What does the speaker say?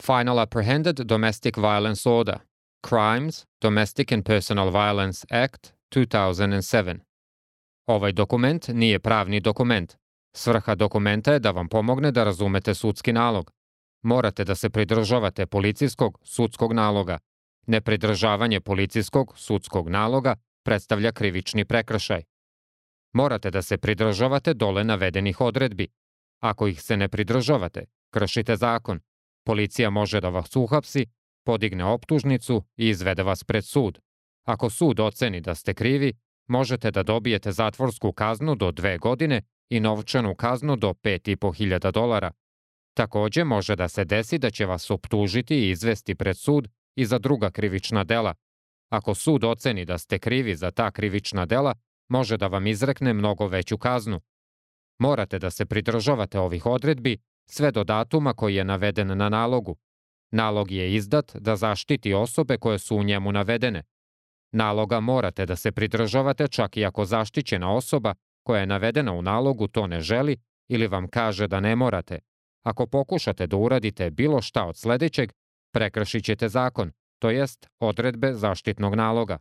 Final Apprehended Domestic Violence Order, Crimes, Domestic and Personal Violence Act, 2007. Ovaj dokument nije pravni dokument. Svrha dokumenta je da vam pomogne da razumete sudski nalog. Morate da se pridržavate policijskog sudskog naloga. Nepridržavanje policijskog sudskog naloga predstavlja krivični prekršaj. Morate da se pridržavate dole navedenih odredbi. Ako ih se ne pridržavate, kršite zakon. Policija može da vas uhapsi, podigne optužnicu i izvede vas pred sud. Ako sud oceni da ste krivi, možete da dobijete zatvorsku kaznu do 2 godine i novčanu kaznu do $5.500. Takođe može da se desi da će vas optužiti i izvesti pred sud i za druga krivična dela. Ako sud oceni da ste krivi za ta krivična dela, može da vam izrekne mnogo veću kaznu. Morate da se pridržavate ovih odredbi sve do datuma koji je naveden na nalogu. Nalog je izdat da zaštiti osobe koje su u njemu navedene. Naloga morate da se pridržavate čak i ako zaštićena osoba koja je navedena u nalogu to ne želi ili vam kaže da ne morate. Ako pokušate da uradite bilo šta od sledećeg, prekršit ćete zakon, to jest odredbe zaštitnog naloga.